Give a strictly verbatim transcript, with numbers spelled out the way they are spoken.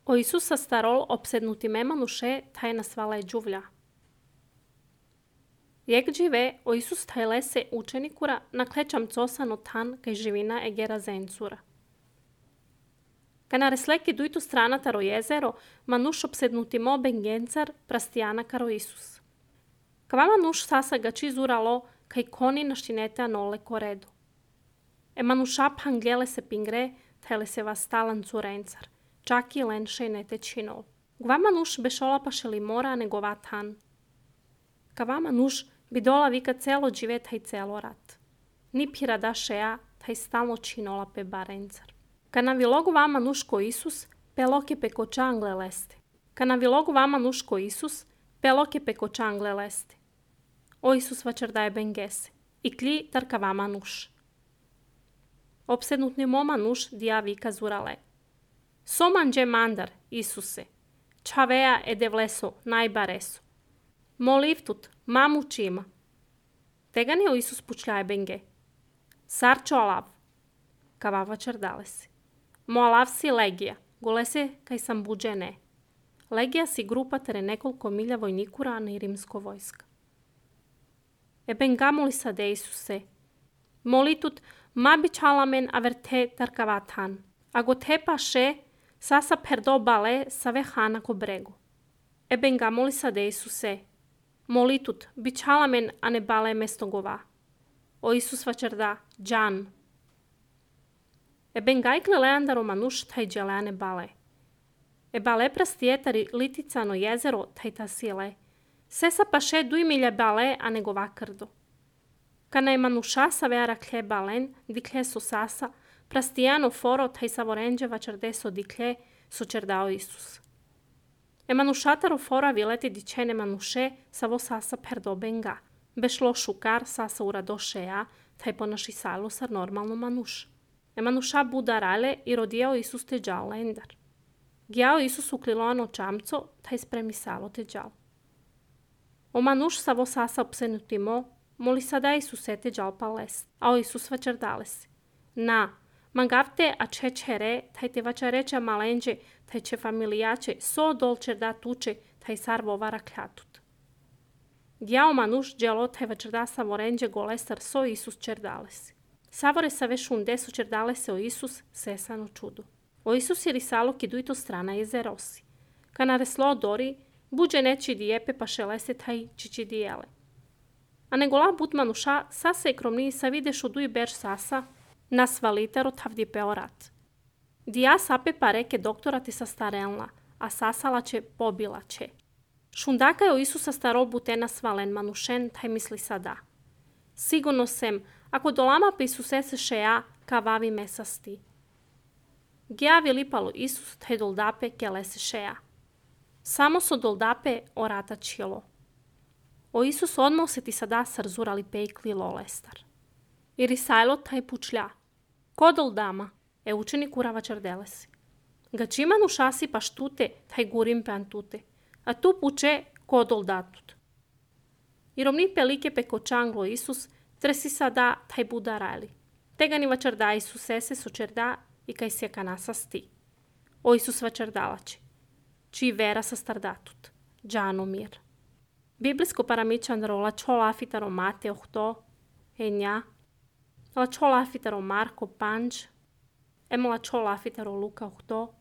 O Isus sa starol obsednuti memanuše taj nasvala je džuvlja. Jak žive, o Isus taj lese učenikura naklećam cosano tan kaj živina e gera zencura. Kana resleki dujtu strana taro jezero, manuš obsednuti mo bengencar prastijana karo Isus. Kava manuš sasa ga čizuralo kaj koni naštinete anole koredu. E manuša panglele se pingre, tele se vas stalan curencar. Čaki lenše nete činol. Gva manuš bešola pašeli mora nego vatan. Kava manuš bi dola vika celo džive taj celo rat. Ni pirada šeja taj stalno činola pe barencar. Kana vilogu vama nuško Isus, peloke peko čangle leste. Kana vilogu vama nuško Isus, peloke peko čangle leste. O Isus vačardaje bengese. I klji tarka vama nuš. Obsednutni moma nuš dija vika zurale. Somanđe mandar, Isuse, čaveja e devleso, najbareso. Molivtut, mamu čima. Tegani o Isus pučljaje benge. Sarčo alav, kavava čardalesi. Mo alav si legija, golese kaj sam buđe ne. Legija si grupa tere nekoliko milja vojnikura na rimsko vojska. E bengamoli sade Isuse. Molitut, mabi čalamen averte tarkavatan. Ago tepa še, sasa perdo bale save hana ko bregu. E bengamoli sade Isuse. Molitut, bičalamen a ne bale mesto gova. O Isus vačarda, džan. E bengajkle leandaro manuš taj dželeane bale. E bale prastijetari liticano jezero taj ta sile. Sesa pa še duj milja bale a nego vakrdo. Kana je manuša savera klje balen, diklje so sasa, prastijano foro taj savorenđe vačarde so diklje, so čerdao Isus. E manušataro fora vileti dičene manuše savo sasa perdo benga. Bešlo šukar sasa urado šeja, taj ponaši salo sar normalno manuš. E manuša budarale i rodijao Isus te džal lendar. Gjao Isus ukliloano čamco, taj spremi salo te džal. O manuš savo sasa opsenutimo, moli sada Isuse te džal pa lest, a o Isus vačardale se. Na, mangavte a čečere, taj te vačareća malenđe, taj će familijače, so dolčer da tuče, taj sar vovara kljatut. Gjao manuš dželo taj vačarda savorenđe golestar so Isus čerdales. Savore sa vešunde so čerdales o Isus sesano čudo. O Isus je risalo ki dujto strana jezerosi. Kana reslo dori, buđe neči dijepe pa šelese taj čiči dijele. A negola bud manuša sasa i kromni sa videšu duj berž sasa, nas valitaro tavdi peorat. Dija sape pa reke doktora ti sa starenla, a sasala će pobila će. Šundaka je o Isusa starol butena svalen manušen, taj misli sada. Sigurno sem, ako dolama pa Isuse se šeja, kavavi mesasti. Gija vilipalo Isus, taj doldape kele se šeja. Samo so doldape orata čilo. O Isus odmah se ti sada sarzurali pejkli lolestar. I risajlo taj pučlja. Ko doldama? E učenik urava čardelesi. Gačima nušasi pa štute, taj gurim pe antute. A tu puče ko doldatut. I romni pelike peko čanglo Isus, tresi sada taj budarali. Tega ni vačarda Isusese so čerda i kaj se kanasa sti. O Isus vačardalače. Čiji vera sa stardatut. Džano mir. Biblijsko paramičan rola čola afitaro Mate ohto, enja, la čola afitaro Marko panč, emo la čola afitaro Luka ohto,